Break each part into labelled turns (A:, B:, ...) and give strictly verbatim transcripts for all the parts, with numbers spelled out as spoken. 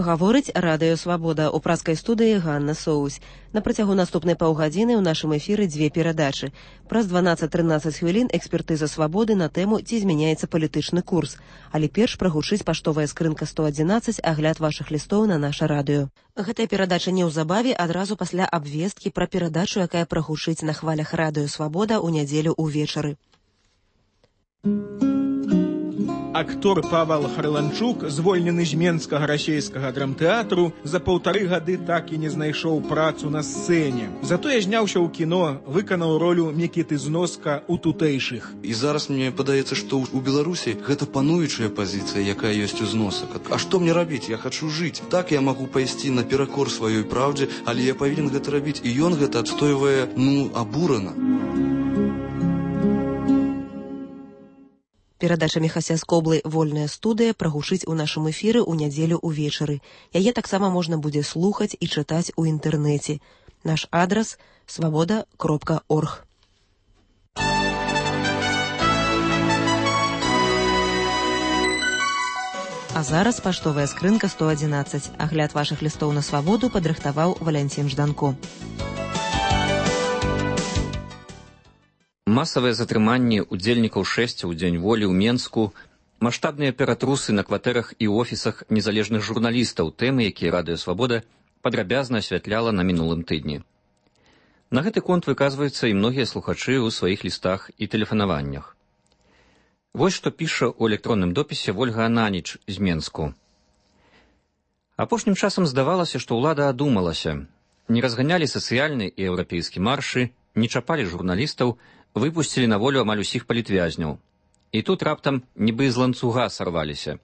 A: Гаворыць Радыё Свабода. У праскай студыі Ганна Соусь. На працягу наступнай паўгадзіны ў нашым эфіры дзве перадачы. Праз дванаццаць-трынаццаць хвілін экспертыза Свабоды на тэму «Ці змяняецца палітычны курс». Але перш прагучыць паштовая скрынка сто адзінаццаць, агляд вашых лістоў на наша радыё. Гэтая перадача неўзабаве адразу пасля абвесткі пра перадачу, якая прагучыць на хвалях Радыё Свабода ў нядзелю ўвечары.
B: Актор Павел Харланчук, звольнены з Менскага расейскага драмтэатру, за паўтары гады так і не знайшоў працу на сцэне. Затое зняўся ў кіно, выканаў ролю Мікіты Зноска ў тутэйшых.
C: І зараз мне падаецца, што ў Беларусі гэта пануючая пазіцыя, якая ёсць у Зносак. А што мне рабіць? Я хачу жыць. Так я магу пайсці наперакор сваёй праўдзе, але я павінен гэта рабіць. І ён гэта адстойвае, ну, абурана.
A: Перадача Міхася Скоблы «Вольная студыя» прагучыць у нашым эфіры ў нядзелю ўвечары. Яе таксама можна будзе слухаць і чытаць у інтэрнэце. Наш адрас – свабода кропка орг. А зараз паштовая скрынка сто адзінаццаць. Агляд вашых лістоў на свабоду падрыхтаваў Валянцін Жданко.
D: Масавыя затрыманні удзельнікаў шэсця ў дзень волі ў Менску, маштабныя ператрусы на кватэрах і офісах незалежных журналістаў, тэмы, якія Радыё Свабода падрабязна асвятляла на мінулым тыдні. На гэты конт выказваюцца і многія слухачы ў сваіх лістах і тэлефанаваннях. Вось што піша ў электронным допісе Вольга Ананіч з Менску. Апошнім часам здавалася, што ўлада адумалася. Не разганялі сацыяльны і еўрапейскі маршы, не чапалі журналістаў, выпусцілі на волю амаль усіх палітвязняў. І тут раптам нібы з ланцуга сарваліся.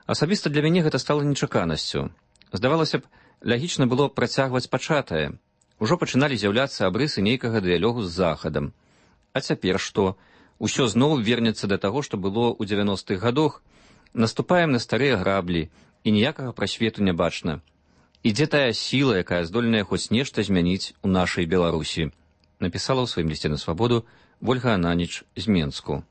D: Асабіста для мяне гэта стала нечаканасцю. Здавалася б, лагічна было працягваць пачатае. Ужо пачыналі з'яўляцца абрысы нейкага дыялогу з Захадам. А цяпер што? Усё зноў вернецца да таго, што было ў дзевяностых гадах. Наступаем на старыя граблі, і ніякага прасвету не бачна. Ідзе тая сіла, якая здольная хоць нешта змяніць у нашай Беларусі, напісала ў сваім лісце на свабоду Вольга Ананіч з Менску.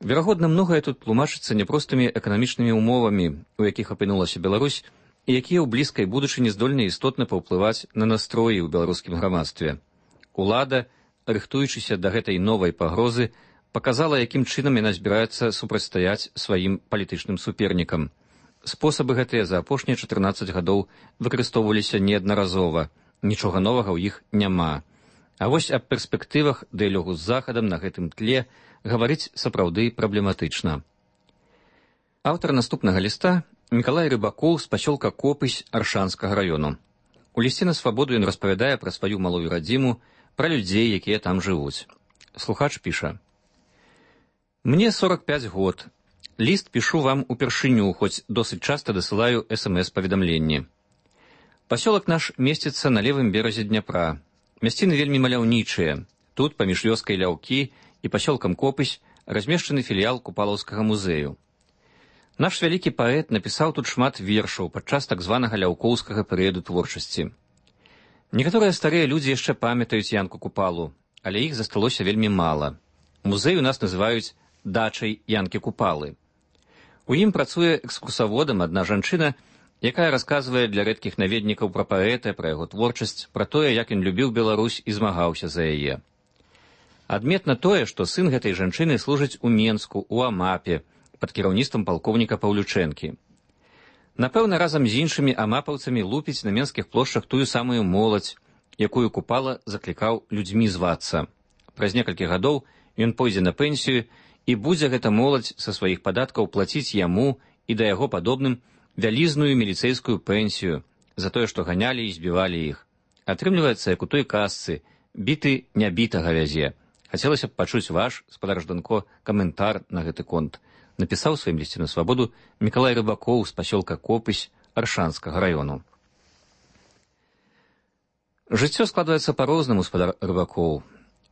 D: Верагодна, многае тут тлумачыцца няпростымі эканамічнымі ўмовамі, у якіх апынулася Беларусь, і якія ў блізкай будучыні здольны істотна паўплываць на настроі ў беларускім грамадстве. Улада, рыхтуючыся да гэтай новай пагрозы, паказала, якім чынам яна збіраецца супрацьстаяць сваім палітычным супернікам. Спосабы гэтыя за апошнія чатырнаццаць гадоў выкарыстоўваліся неаднаразова. Нічога новага ў іх няма. А вось аб перспектывах дыялогу з Захадам на гэтым тле гаварыць сапраўды праблематычна. Аўтар наступнага ліста Мікалай Рыбакоў з пасёлка Копысь Аршанскага раёну. У лісце на свабоду ён распавядае пра сваю малую радзіму, пра людзей, якія там жывуць. Слухач піша. Мне сорок пяць год. Ліст пішу вам упершыню, хоць досыць часта дасылаю эс эм эс-паведамленні. Пасёлак наш месціцца на левым беразе Дняпра. Мясціны вельмі маляўнічыя. Тут, паміж вёскай Ляўкі і пасёлкам Копысь, размешчаны філіял Купалаўскага музею. Наш вялікі паэт напісаў тут шмат вершаў падчас так званага ляўкоўскага перыяду творчасці. Некаторыя старыя людзі яшчэ памятаюць Янку Купалу, але іх засталося вельмі мала. Музей у нас называюць дачай Янкі Купалы. У ім працуе экскурсаводам адна жанчына, якая расказвае для рэдкіх наведнікаў пра паэта, пра яго творчасць, пра тое, як ён любіў Беларусь і змагаўся за яе. Адметна тое, што сын гэтай жанчыны служыць у Менску, у Амапе, пад кіраўніцтвам палкоўніка Паўлючэнкі. Напэўна, разам з іншымі амапаўцамі лупіць на менскіх плошчах тую самую моладзь, якую Купала заклікаў людзьмі звацца. Праз некалькі гадоў ён пойдзе на пенсію, і будзе гэта моладзь са сваіх падаткаў плаціць яму і да яго падобным вялізную міліцэйскую пенсію за тое, што ганялі і збівалі іх. Атрымліваецца, як у той казцы, біты нябітага вязе. Хацелася б пачуць ваш, спадар Жданко, каментар на гэты конт. Напісаў сваім лісце на свабоду Мікалай Рыбакоў з пасёлка Копысь Аршанскага раёну. Жыццё складваецца па-рознаму, спадар Рыбакоў.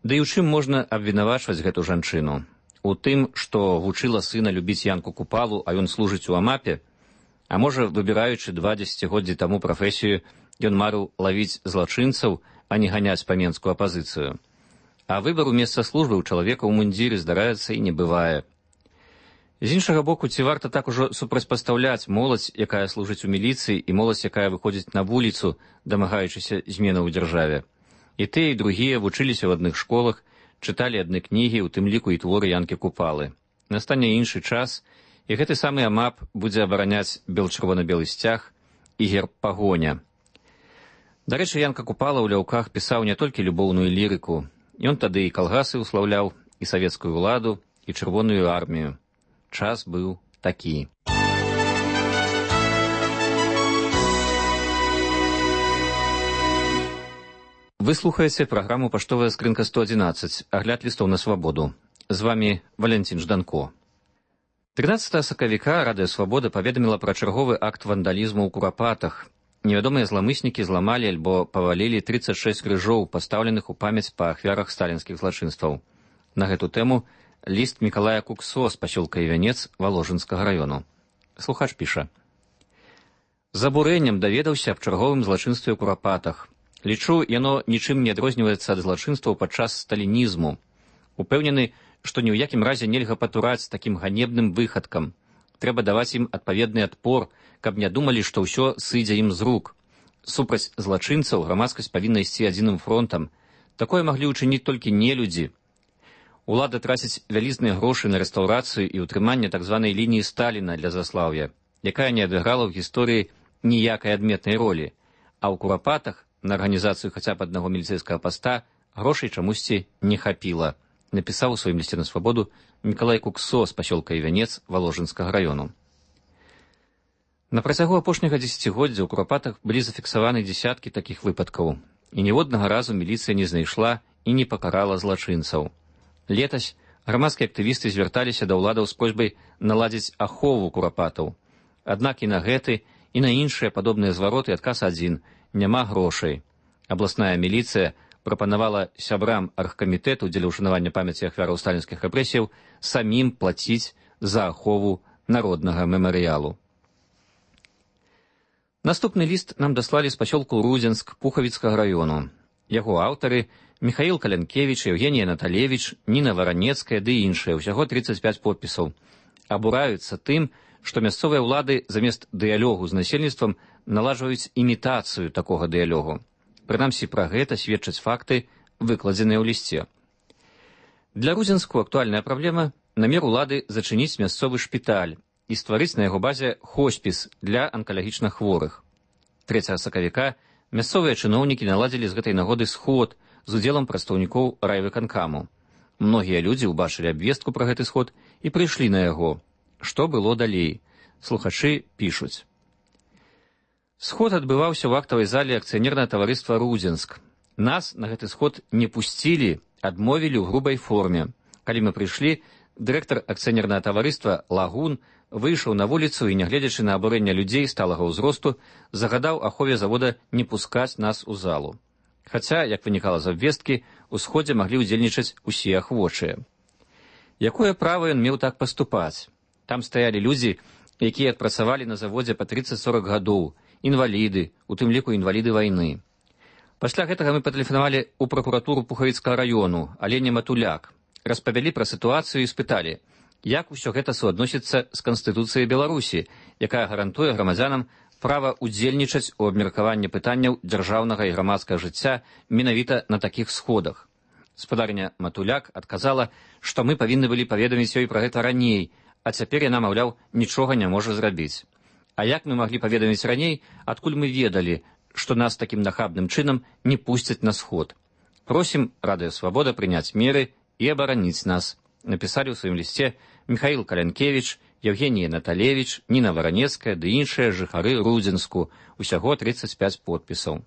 D: Да і ў чым можна абвінавачваць гэту жанчыну? У тым, што вучыла сына любіць Янку Купалу, а ён служыць у Амапе? А можа, выбіраючы два дзесяцігоддзі таму прафесію, ён марыў лавіць злачынцаў, а не ганяць па менскую апазіцыю. А выбар у месца службы ў чалавека ў мундзіры, здараецца, і не бывае. З іншага боку, ці варта так ужо супрацьпастаўляць моладзь, якая служыць у міліцыі, і моладзь, якая выходзіць на вуліцу, дамагаючыся зменаў у дзяржаве. І тыя, і другія вучыліся ў адных школах, чыталі адны кнігі, у тым ліку і творы Янкі Купалы. Настане іншы час, і гэты самы АМАП будзе абараняць бел-чырвона-белы сцяг і герб пагоня. Дарэчы, Янка Купала ў ляўках пісаў не толькі любоўную лірыку. Ён тады і калгасы ўслаўляў, і савецкую ўладу, і чырвоную армію. Час быў такі. Вы слухаеце праграму «Паштовая скрынка сто адзінаццаць», агляд лістоў на свабоду. З вамі Валянцін Жданко. трынаццатага сакавіка Радыё Свабода паведаміла пра чарговы акт вандалізму ў Курапатах. Невядомыя зламыснікі зламалі альбо павалілі трыццаць шэсць крыжоў, пастаўленых у памяць па ахвярах сталінскіх злачынстваў. На гэту тэму ліст Мікалая Куксо з пасёлка Івянец Валожынскага раёну. Слухач піша. З абурэннем даведаўся аб чарговым злачынстве ў Курапатах. Лічу, яно нічым не адрозніваецца ад злачынстваў падчас сталінізму. Упэўнены, што ні ў якім разе нельга патураць такім ганебным выхадкам. Трэба даваць ім адпаведны адпор, каб не думалі, што ўсё сыдзе ім з рук. Супраць злачынцаў грамадскасць павінна ісці адзіным фронтам. Такое маглі ўчыніць толькі нелюдзі. Улада траціць вялізныя грошы на рэстаўрацыю і ўтрыманне так званай лініі Сталіна для заслаўя, якая не адыграла ў гісторыі ніякай адметнай ролі, а ў Курапатах на арганізацыю хаця б аднаго міліцэйскага паста грошай чамусьці не хапіла, напісаў у сваім лісце на свабоду Мікалай Куксо з пасёлка Івянец Валожынскага раёну. На працягу апошняга дзесяцігоддзя ў Курапатах былі зафіксаваны дзесяткі такіх выпадкаў, і ніводнага разу міліцыя не знайшла і не пакарала злачынцаў. Летась грамадскія актывісты звярталіся да ўладаў з просьбай наладзіць ахову Курапатаў. Аднак і на гэты, і на іншыя падобныя звароты адказ адзін – няма грошай. Абласная міліцыя прапанавала сябрам аргкамітэту дзеля ўшанавання памяці ахвяраў сталінскіх рэпрэсіяў самім плаціць за ахову народнага мемарыялу. Наступны ліст нам даслалі з пасёлку Рудзенск Пухавіцкага раёну. Яго аўтары Міхаіл Калянкевіч, Евгенія Наталевіч, Ніна Варанецкая ды іншыя, усяго трыццаць пяць подпісаў. Абураюцца тым, што мясцовыя ўлады замест дыялогу з насельніцтвам наладжваюць імітацыю такога дыялогу. Прынамсі, пра гэта сведчаць факты, выкладзеныя ў лісце. Для Рудзенску актуальная праблема – намер улады зачыніць мясцовы шпіталь і стварыць на яго базе хоспіс для анкалагічна хворых. трэцяга сакавіка мясцовыя чыноўнікі наладзілі з гэтай нагоды сход з удзелам прадстаўнікоў райвыканкаму. Многія людзі ўбачылі абвестку пра гэты сход і прыйшлі на яго. Што было далей? Слухачы пішуць. Сход адбываўся ў актавай зале акцыянернага таварыства «Рудзенск». Нас на гэты сход не пусцілі, адмовілі ў грубай форме. Калі мы прыйшлі, дырэктар акцыянернага таварыства «Лагун» выйшаў на вуліцу і, нягледзячы на абурэнне людзей сталага ўзросту, загадаў ахове завода не пускаць нас у залу. Хаця, як вынікала з абвесткі, у сходзе маглі ўдзельнічаць усе ахвочыя. Якое права ён меў так паступаць? Там стаялі людзі, якія адпрацавалі на заводзе па трыццаць-сорак гадоў, інваліды, у тым ліку інваліды вайны. Пасля гэтага мы патэлефанавалі ў пракуратуру Пухавіцкага раёну, Алене Матуляк, распавялі пра сітуацыю і спыталі, як усё гэта суадносіцца з Канстытуцыяй Беларусі, якая гарантуе грамадзянам права ўдзельнічаць у абмеркаванні пытанняў дзяржаўнага і грамадскага жыцця менавіта на такіх сходах. Спадарня Матуляк адказала, што мы павінны былі паведаміць ёй пра гэта раней, а цяпер яна, маўляў, нічога не можа зрабіць. А як мы маглі паведаміць раней, адкуль мы ведалі, што нас такім нахабным чынам не пусцяць на сход? Просім Радыё Свабода прыняць меры і абараніць нас, напісалі ў сваім лісце Міхаіл Калянкевіч, Евгенія Наталевіч, Ніна Варанецкая ды іншыя жыхары Рудзенску, усяго трыццаць пяць подпісаў.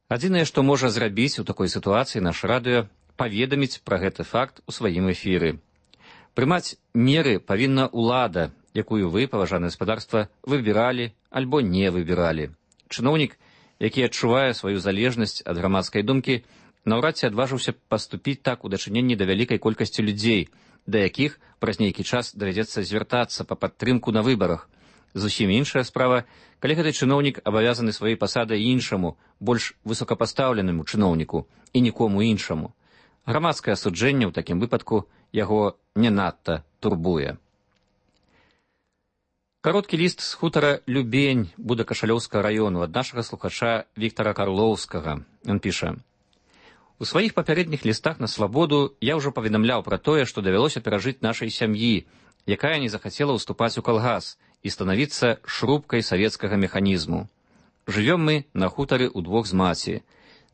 D: Адзінае, што можа зрабіць у такой сітуацыі наш радыё, паведаміць пра гэты факт у сваім эфіры. Прымаць меры павінна ўлада, якую вы, паважанае гаспадарства, выбіралі альбо не выбіралі. Чыноўнік, які адчувае сваю залежнасць ад грамадскай думкі, наўрад ці адважыўся паступіць так у дачыненні да вялікай колькасці людзей, да якіх праз нейкі час давядзецца звяртацца па падтрымку на выбарах. Зусім іншая справа, калі гэты чыноўнік абавязаны сваёй пасадай іншаму, больш высокапастаўленаму чыноўніку і нікому іншаму. Грамадскае асуджэнне ў такім выпадку яго не надта турбуе. Кароткі ліст з хутара Любень Будакашалёўскага раёну ад нашага слухача Віктара Карлоўскага. Ён піша: «У сваіх папярэдніх лістах на свабоду я ўжо паведамляў пра тое, што давялося перажыць нашай сям'і, якая не захацела ўступаць у калгас і станавіцца шрубкай савецкага механізму. Жывём мы на хутары ўдвох з маці.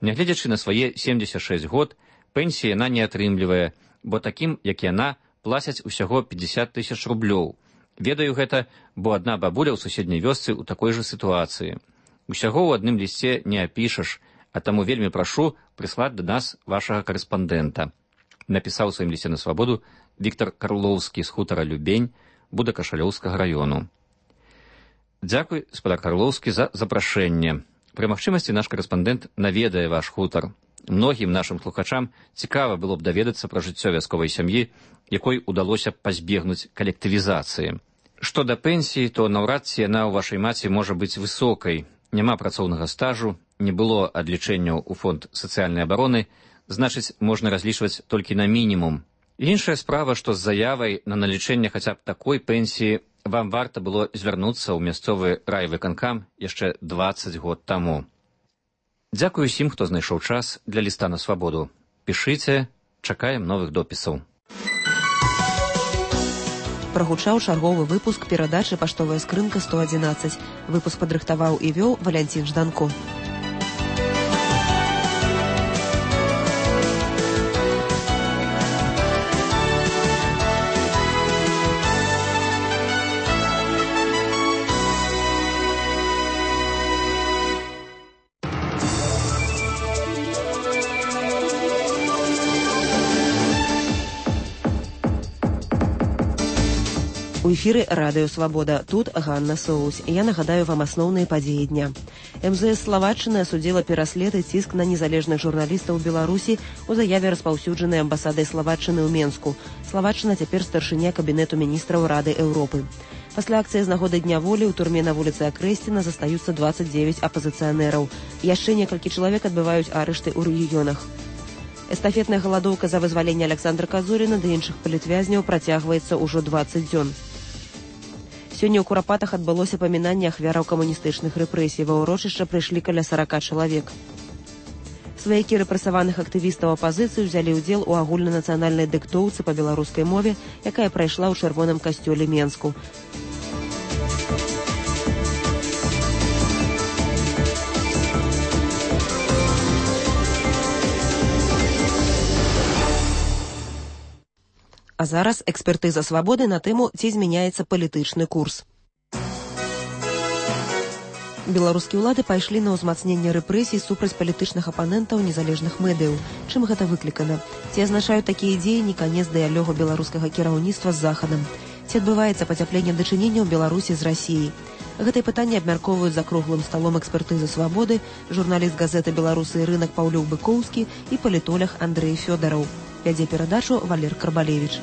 D: Нягледзячы на свае семдзесят шэсць год, пенсіі яна не атрымлівае, бо такім, як яна, плацяць усяго пятьдесят тысяч рублёў. Ведаю гэта, бо адна бабуля ў суседняй вёсцы ў такой жа сітуацыі. Усяго ў адным лісце не апішаш, а таму вельмі прашу прыслаць да нас вашага карэспандэнта», напісаў у сваім лісце на свабоду Віктар Карлоўскі з хутара Любень Будакашалёўскага раёну. Дзякуй, спадар Карлоўскі, за запрашэнне. Пры магчымасці наш карэспандэнт наведае ваш хутар. Многім нашым слухачам цікава было б даведацца пра жыццё вясковай сям'і, якой удалося пазбегнуць калектывізацыі. Што да пенсіі, то наўрад ці яна ў вашай маці можа быць высокай. Няма працоўнага стажу, не было адлічэнняў у фонд сацыяльнай абароны, значыць, можна разлічваць толькі на мінімум. Іншая справа, што з заявай на налічэнне хаця б такой пенсіі вам варта было звярнуцца ў мясцовы райвыканкам яшчэ дваццаць год таму. Дзякую усім, хто знайшоў час для ліста на свабоду. Пішыце, чакаем новых допісаў.
A: Прагучаў чарговы выпуск перадачы «Паштовая скрынка сто адзінаццаць». Выпуск падрыхтаваў і вёў Валянцін Жданко. У эфіры радыё «Свабода». Тут Ганна Соус. Я нагадаю вам асноўныя падзеі дня. эм зэ эс Славатчыны асудзіла пераслед і ціск на незалежных журналістаў Беларусі у заяве, распаўсюджанай амбасадай Славатчыны ў Менску. Славатчына цяпер старшыня кабінету міністраў Рады Еўропы. Пасля акцыі з нагоды Дня волі ў турме на вуліцы Акрэсціна застаюцца дваццаць дзевяць апазіцыянераў. Яшчэ некалькі чалавек адбываюць арышты ў рэгіёнах. Эстафетная галадоўка за вызваленне Аляксандра Казуріна ды іншых палітвязняў працягваецца ўжо дваццаць дзён. Сёння ў Курапатах адбылося памінанне ахвяраў камуністычных рэпрэсій. Ва ўрочышча прыйшлі каля сорока чалавек. Сваякі рэпрэсаваных актывістаў апазіцыі ўзялі ўдзел у агульнанацыянальнай дыктоўцы па беларускай мове, якая прайшла ў чырвоным касцёле Менску. А зараз экспертыза свабоды на тэму, ці змяняецца палітычны курс. Беларускія ўлады пайшлі на ўзмацненне рэпрэсій супраць палітычных апанентаў незалежных медыяў. Чым гэта выклікана? Ці азначаюць такія дзеянні канец дыялогу беларускага кіраўніцтва з Захадам? Ці адбываецца пацяпленне дачынення ў Беларусі з Расіяй? Гэтае пытанне абмяркоўваюць за круглым сталом экспертызы свабоды журналіст газеты «Беларусы і рынак» Паўлюк Быкоўскі і палітолог Андрэй Фёдараў. Вядзе перадачу Валер Карбалевіч.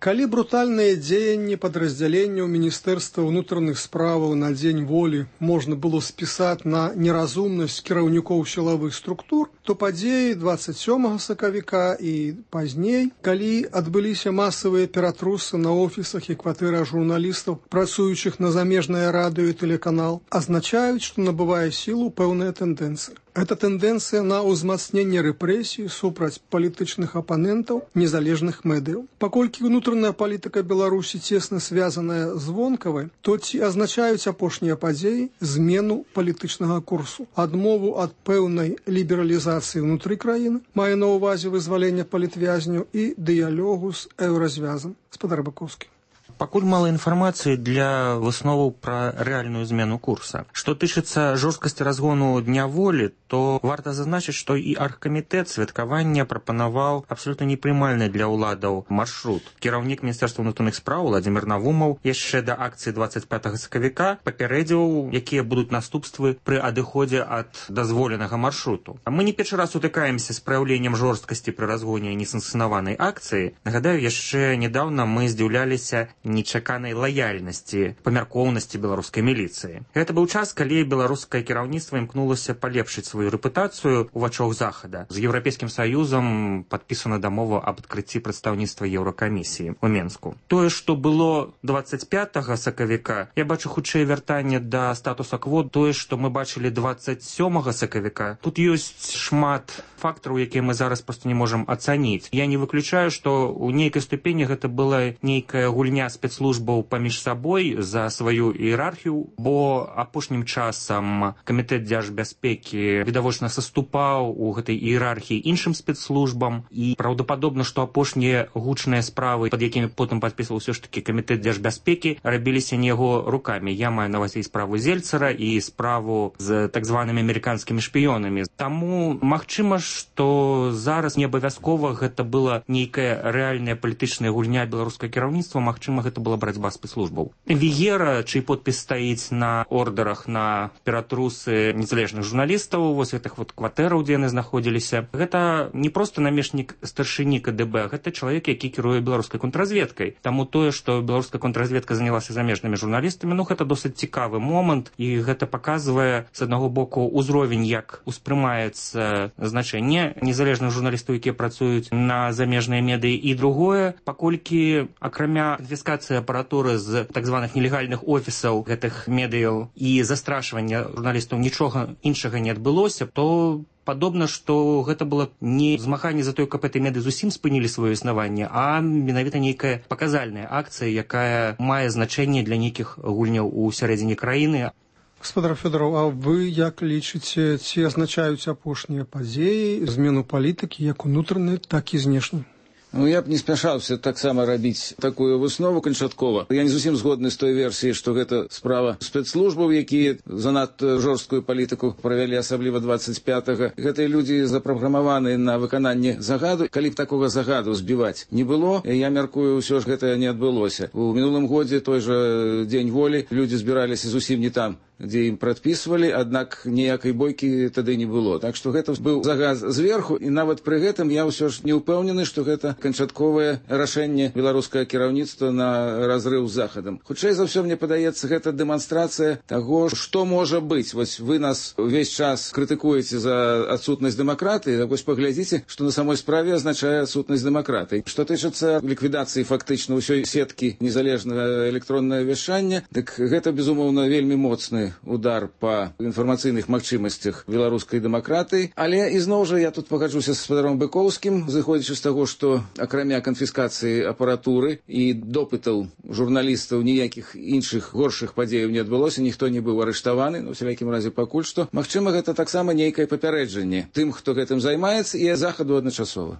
E: Калі брутальныя дзеянні падраздзяленняў Міністэрства ўнутраных справаў на дзень волі можна было спісаць на неразумнасць кіраўнікоў сілавых структур, то падзеі дваццаць сёмага сакавіка і пазней, калі адбыліся масавыя ператрусы на офісах і кватэрах журналістаў, працуючых на замежнае радыё і тэлеканал, азначаюць, што набывае сілу пэўная тэндэнцыя. Гэта тэндэнцыя на ўзмацненне рэпрэсій супраць палітычных апанентаў незалежных медыяў. Паколькі ўнутраная палітыка Беларусі цесна звязаная з вонкавай, то ці азначаюць апошнія падзеі змену палітычнага курсу, адмову ад пэўнай лібералізацыі ўнутры краіны, мае на ўвазе вызвалення палітвязняў і дыялогу з еўразвязам. Спадар Быкоўскі.
F: Пакуль мала інфармацыі для высноваў пра рэальную змену курса. Што тычыцца жорсткасці разгону Дня волі, то варта зазначыць, што і аргкамітэт святкавання прапанаваў абсалютна непрымальны для ўладаў маршрут. Кіраўнік Міністэрства ўнутраных спраў Владзімір Навумаў яшчэ да акцыі дваццаць пятага сакавіка папярэдзіў, якія будуць наступствы пры адыходзе ад дазволенага маршруту. Мы не першы раз сутыкаемся з праяўленнем жорсткасці пры разгоне несанкцыянаванай акцыі. Нагадаю, яшчэ нядаўна мы здзіўляліся нечаканай лаяльнасці, памяркоўнасці беларускай міліцыі. Гэта быў час, калі беларускае кіраўніцтва імкнулася палепшыць сваю рэпутацыю ў вачах захада. З Еўрапейскім саюзам падпісана дамова аб адкрыцці прадстаўніцтва Еўракамісіі ў Менску. Тое, што было дваццаць пятага сакавіка, я бачу хутчэй вяртанне да статуса кво. Тое, што мы бачылі дваццаць сёмага сакавіка, тут ёсць шмат фактараў, якія мы зараз проста не можам ацаніць. Я не выключаю, што ў нейкай ступені гэта была нейкая гульня спецслужбаў паміж сабой за сваю іерархію, бо апошнім часам камітэт дзяржбяспекі відавочна саступаў у гэтай іерархіі іншым спецслужбам, і праўдападобна, што апошнія гучныя справы, пад якімі потым падпісваў усё ж такі камітэт дзяржбяспекі, рабіліся не яго рукамі. Я маю на ўвазе справу Зельцера і справу з так званымі амерыканскімі шпіёнамі. Таму магчыма, што зараз не абавязкова гэта была нейкая рэальная палітычная гульня беларускага кіраўніцтва, магчыма, гэта была барацьба спецслужбаў. Віера, чый подпіс стаіць на ордерах на ператрусы незалежных журналістаў, вось гэтых вот кватэраў, дзе яны знаходзіліся, гэта не проста намешнік старшыні ка дэ бэ, гэта чалавек, які кіруе беларускай контрразведкай. Таму тое, што беларуская контрразведка занялася замежнымі журналістамі, ну гэта досыць цікавы момант, і гэта паказвае з аднаго боку ўзровень, як успрымаецца значэнне незалежных журналістаў, якія працуюць на замежныя медыі, і другое, паколькі акрамя канфіскацыі апаратуры з так званых нелегальных офісаў гэтых медыяў і застрашвання журналістаў нічога іншага не адбылося, то падобна, што гэта было не змаганне за тое, каб гэтай меды зусім спынілі сваё існаванне, а менавіта нейкая паказальная акцыя, якая мае значэнне для нейкіх гульняў у сярэдзіне краіны.
E: Гаспадар Фёдораў, а вы як лічыце, ці азначаюць апошнія падзеі змену палітыкі як унутранай, так і знешняй?
G: Ну, я б не спяшаўся таксама рабіць такую выснову канчаткова. Я не зусім згодны з той версіяй, што гэта справа спецслужбаў, якія занадта жорсткую палітыку правялі, асабліва дваццаць пятага. Гэтыя людзі запраграмаваны на выкананне загаду. Калі б такога загаду збіваць не было, я мяркую, ўсё ж гэта не адбылося. У мінулым годзе той жа дзень волі людзі збіраліся зусім не там, дзе ім прадпісвалі, аднак ніякай бойкі тады не было. Так што гэта быў загад зверху, і нават пры гэтым я ўсё ж не ўпэўнены, што гэта канчатковае рашэнне беларускага кіраўніцтва на разрыў з захадам. Хутчэй за ўсё, мне падаецца, гэта дэманстрацыя таго, што можа быць. Вось вы нас увесь час крытыкуеце за адсутнасць дэмакратыі, так вось паглядзіце, што на самой справе азначае адсутнасць дэмакратыі. Што тычыцца ліквідацыі фактычна ўсёй сеткі незалежнага электроннага вяшчання, дык гэта, безумоўна, вельмі моцны удар па інфармацыйных магчымасцях беларускай дэмакратыі. Але ізноў жа я тут пагаджуся з гаспадаром Быкоўскім, зыходзячы з таго, што акрамя канфіскацыі апаратуры і допытаў журналістаў ніякіх іншых горшых падзеяў не адбылося, ніхто не быў арыштаваны, ну, у всякім разе пакуль што. Магчыма, гэта таксама нейкае папярэджанне тым, хто гэтым займаецца, і захаду адначасова.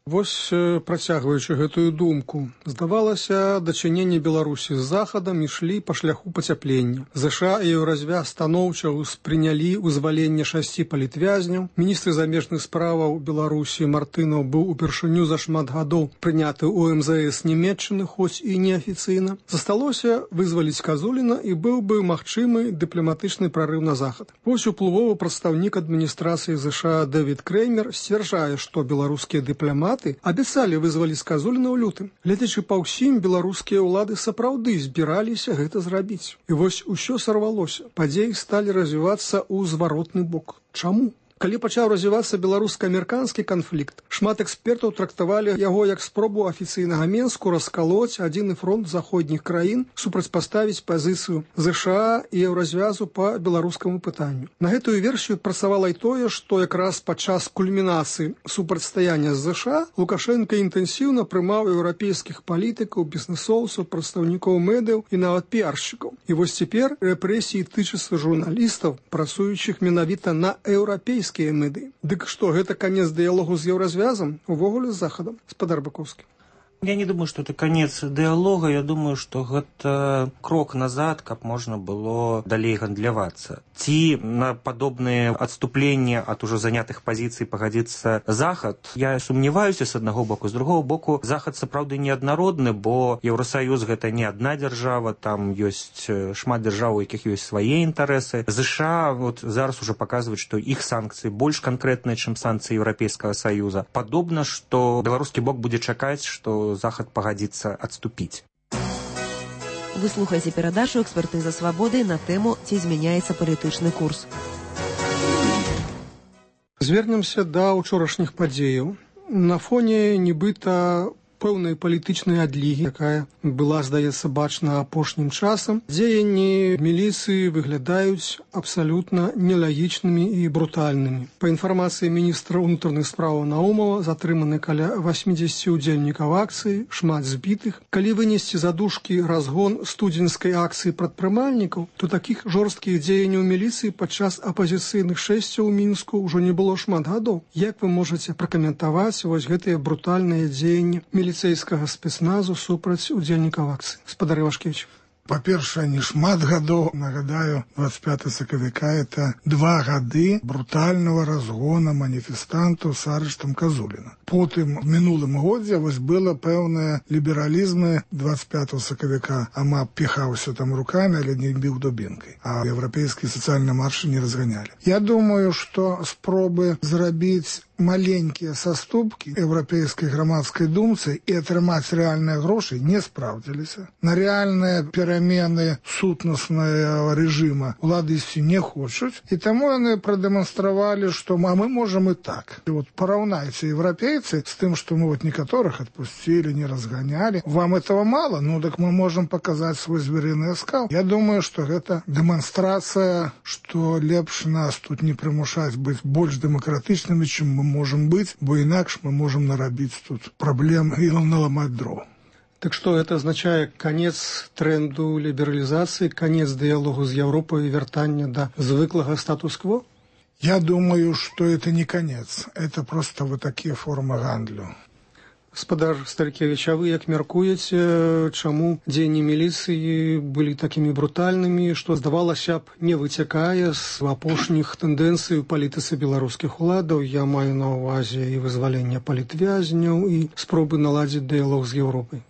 E: Вось, працягваючы гэтую думку, здавалася, дачыненні Беларусі з захадам ішлі па шляху пацяплення. ЗША і Еўразвяз станоўча ўспрынялі вызваленне шасці палітвязняў. Міністр замежных справаў Беларусі Мартынаў быў упершыню за шмат гадоў прыняты ў эм зэ эс Нямецчыны, хоць і неафіцыйна. Засталося вызваліць Казуліна, і быў бы магчымы дыпламатычны прарыў на захад. Вось уплывовы прадстаўнік адміністрацыі ЗША Дэвід Креймер сцвярджае, што беларускія дыпламаты абяцалі вызваліць Казуліна ў лютым. Гледзячы па ўсім, беларускія ўлады сапраўды збіраліся гэта зрабіць. І вось усё сарвалося. Падзеі сталі развівацца ў зваротны бок. Чаму? Калі пачаў развівацца беларуска-амерыканскі канфлікт, шмат экспертаў трактавалі яго як спробу афіцыйнага Менску раскалоць адзіны фронт заходніх краін, супрацьпаставіць пазіцыю ЗША і Еўразвязу па беларускаму пытанню. На гэтую версію працавала і тое, што якраз падчас кульмінацыі супрацьстаяння з ЗША Лукашенка інтэнсіўна прымаў еўрапейскіх палітыкаў, бізнэсоўцаў, прадстаўнікоў медыяў і нават піаршчыкаў. І вось цяпер рэпрэсіі тычацца журналістаў, працуючых менавіта на еўрапейскіх меды. Дык што, гэта канец дыялогу з Еўразвязам, увогуле з захадам? Гаспадар Быкоўскі.
F: Я не думаю, что это конец диалога, я думаю, что гэта крок назад, каб можна было далей гандлявацца. Ці на падобныя адступленні ад ужо занятых пазіцый пагадзіцца захад, я сумняваюся з аднаго боку, з другого боку, захад сапраўды неаднародны, бо Еўросаюз гэта не адна дзяржава, там ёсць шмат дзяржаў, у якіх ёсць свае інтарэсы. ЗША вот зараз ужо паказваюць, што іх санкцыі больш канкрэтныя, чым санкцыі Еўрапейскага саюза. Падобна, што беларускі бок будзе чакаць, што захад пагадзіцца адступіць.
A: Вы слухаеце перадачу «Экспертыза свабоды» на тэму «Ці змяняецца палітычны курс».
E: Звернемся да ўчорашніх падзеяў. На фоне нібыта пэўнай палітычнай адлігі, якая была, здаецца, бачна апошнім часам, дзеянні міліцыі выглядаюць абсалютна нелагічнымі і брутальнымі. Па інфармацыі міністра ўнутраных спраў Наумова затрыманы каля восемьдесят удзельнікаў акцыі, шмат збітых. Калі вынесці задушкі разгон студзеньскай акцыі прадпрымальнікаў, то такіх жорсткіх дзеянняў міліцыі падчас апазіцыйных шэсцяў у Мінску ўжо не было шмат гадоў. Як вы можаце пракаментаваць вось гэтыя брутальныя дзеянні міліцэйскага спецназу супраць удзельнікаў акцыі? Спадары Вашкевіч.
H: Па-першае, не шмат гадоў, нагадаю, двадцать пятого сакавіка это два гады брутального разгона маніфестантаў с арыштам Казуліна. Потым, в мінулым годзе, вось было пэўнае лібералізмы двадцать пятого сакавіка. Ама піхаўся там руками, але не біў дубінкай. А еўрапейскія сацыяльныя маршы не разганялі. Я думаю, што спробы зрабіць маленькія саступкі еўрапейскай грамадскай думцы і атрымаць рэальныя грошы не спраўдзіліся. На рэальныя перамены сутнаснага рэжыма улады ісці не хочуць, і таму яны прадэманстравалі, што а мы можам і так. І вот параўнайце еўрапейцы з тым, што мы вот некаторых адпусцілі, не разганялі. Вам этого мало? Ну, так мы можам паказаць свой зверыны скал. Я думаю, што гэта дэманстрацыя, што лепш нас тут не прымушаць быць больш дэмакратычнымі, чым мы можем быть, бо інакш мы можем нарабіць тут праблем і наламаць дров.
E: Так што гэта азначае канец тренду лібералізацыі, канец дыялогу з Еўропай і вяртання да звыклага статус-кво?
H: Я думаю, что это не конец. Это просто вот такие формы гандлю.
E: Спадар Старыкевіч, а вы як мяркуеце, чаму дзеянні міліцыі былі такімі брутальнымі, што, здавалася б, не выцякае з апошніх тэндэнцый у палітыцы беларускіх уладаў? Я маю на ўвазе і вызвалення палітвязняў, і спробы наладзіць дыялог з Еўропай.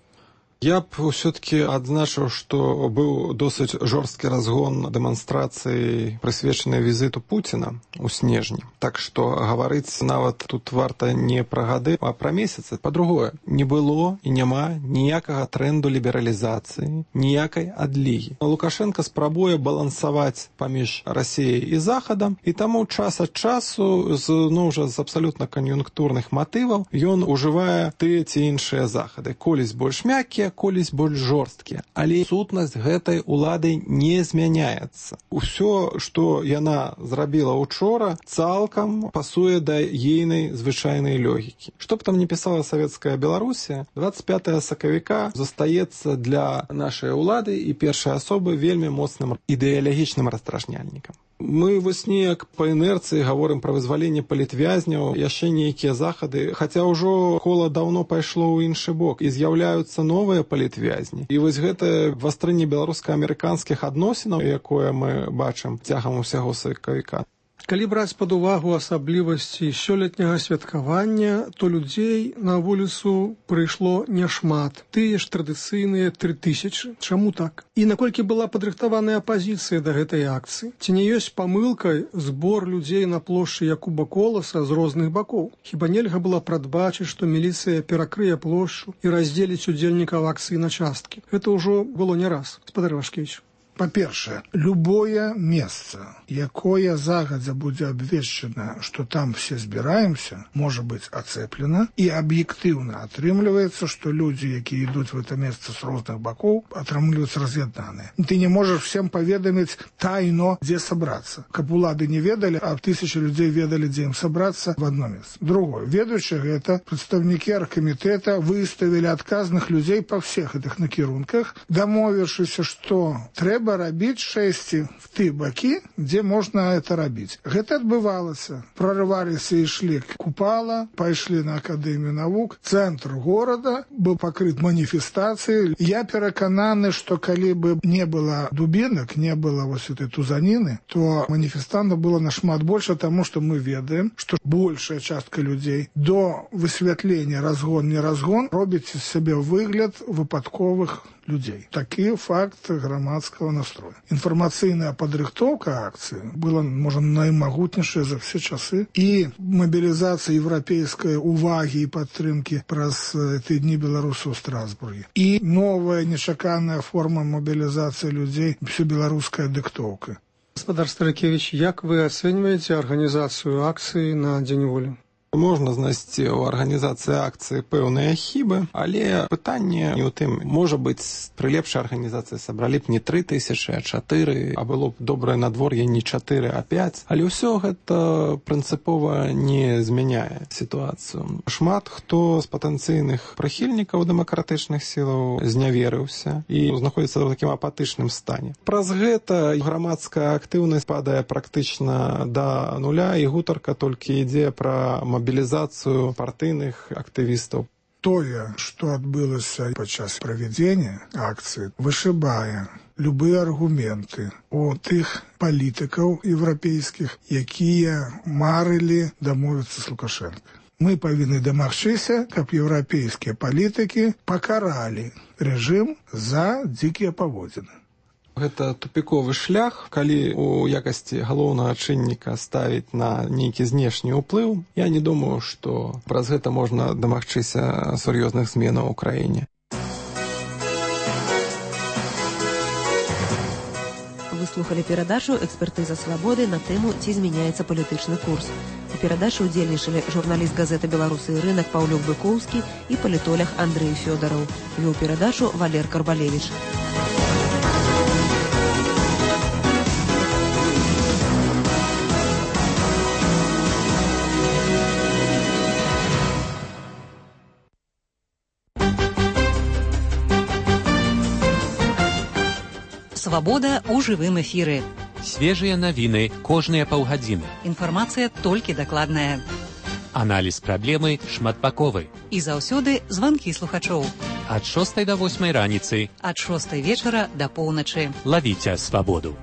I: Я б ўсё-таки адзначыў, што быў досыць жорсткі разгон дэманстрацыі, прысвечанай візіту Пуціна ў снежні. Так што гаварыць нават тут варта не пра гады, а пра месяцы. Па-другое, не было і няма ніякага трэнду лібералізацыі, ніякай адлігі. Лукашенко спрабуе балансаваць паміж Расіяй і Захадам, і таму час ад часу, з, ну, ўжо з абсалютна кан'юнктурных матываў, ён ужывае тыя ці іншыя захады. Колісь больш мяккія, колісь больш жорсткія. Але сутнасць гэтай улады не змяняецца. Усё, што яна зрабіла учора, цалкам пасуе да ейнай звычайнай логікі. Што б там не пісала савецкая Беларусія, двадцать пятого сакавіка застаецца для нашай улады і першай асобы вельмі моцным ідэалагічным раздражняльнікам. Мы вось неяк па інерцыі гаворым пра вызваленне палітвязняў, яшчэ нейкія захады, хаця ўжо кола даўно пайшло ў іншы бок, і з'яўляюцца новыя палітвязні. І вось гэтае вастрынне беларуска-амерыканскіх адносінаў, якое мы бачым цягам усяго сакавіка.
E: Калі браць пад увагу асаблівасці сёлетняга святкавання, то людзей на вуліцу прыйшло няшмат. Тыя ж традыцыйныя тры тысячы. Чаму так? І наколькі была падрыхтаваная апазіцыя да гэтай акцыі? Ці не ёсць памылкай збор людзей на плошчы Якуба Коласа з розных бакоў? Хіба нельга было прадбачыць, што міліцыя перакрые плошчу і раздзеліць удзельнікаў акцыі на часткі? Гэта ўжо было не раз. Спадар Вашкевіч.
H: Па-першае, любое месца, якое загадзя будзе абвешчана, што там все збіраемся, можа быць ацэплена, і аб'ектыўна атрымліваецца, што людзі, якія ідуць в это месца з розных бакоў, атрымліваюць раз'яднаныя. Ты не можаш всем паведаміць тайно, дзе сабрацца. Каб улады не ведалі, а тысячы людзей ведалі, дзе ім сабрацца в одно месца. Другое, ведаючы гэта, прадстаўнікі аргкамітэта выставілі адказных людзей па всех гэтых накірунках, дамовіўшыся, што трэба рабіць шэсці в ты бакі, дзе можна это рабіць. Гэта адбывалася. Прорываліся і ішлі купала, пайшлі на Акадэмію навук, цэнтр горада быў пакрыт маніфестацыяй. Я перакананы, што калі бы не было дубінак, не было вось этой тузаніны, то маніфестантаў было нашмат больше, таму што мы ведаем, што большая частка людзей до высвятлення разгон не разгон робіць з сябе выгляд выпадковых людзей. Такі факт грамадскага настроя. Інфармацыйная падрыхтоўка акцыі была, можа, наймагутнейшая за все часы, і мабілізацыя еўрапейскай увагі і падтрымкі праз тыдні беларусаў у Страсбургі. І новая нечаканая форма мобілізацыі людзей, всебеларуская дыктоўка.
E: Гаспадар Старыкевич, як вы ацэньваеце арганізацыю акцыі на Дзень волі?
I: Можна знайсці ў арганізацыі акцыі пэўныя хібы, але пытанне не ў тым. Можа быць, пры лепшай арганізацыі сабралі б не тры тысячы, а чатыры, а было б добрае надвор'е не чатыры, а пяць. Але ўсё гэта прынцыпова не змяняе сітуацыю. Шмат хто з патэнцыйных прыхільнікаў дэмакратычных сілаў зняверыўся і знаходзіцца ў такім апатычным стане. Праз гэта грамадская актыўнасць падае практычна да нуля, і гутарка толькі ідзе пра мобілізацыю партыйных актывістаў.
H: Тое, што адбылася падчас правядзення акцыі, вышыбае любыя аргументы у тых палітыкаў еўрапейскіх, якія марылі дамовіцца з Лукашенко. Мы павінны дамагчыся, каб еўрапейскія палітыкі пакаралі рэжым за дзікія паводзіны.
I: Гэта тупіковы шлях, калі у якасці галоўнага чынніка ставіць на нейкі знешні ўплыў. Я не думаю, што праз гэта можна дамагчыся сур'ёзных зменаў у краіне.
A: Вы слухали перадачу «Экспертыза свабоды» на тэму «Ці змяняецца палітычны курс». У перадачы ўдзельнічалі журналіст газеты «Беларусы і рынак» Паўлюк Быкоўскі і палітолог Андрэй Фёдараў. Вёў перадачу Валер Карбалевіч.
J: Свабода ў жывым эфіры.
K: Свежыя навіны кожныя паўгадзіны.
J: Інфармацыя толькі дакладная.
K: Аналіз праблемы шматбаковы.
J: І заўсёды званкі слухачоў.
K: Ад шостай да восьмай раніцы.
J: Ад шостай вечара да поўначы.
K: Лавіце свабоду.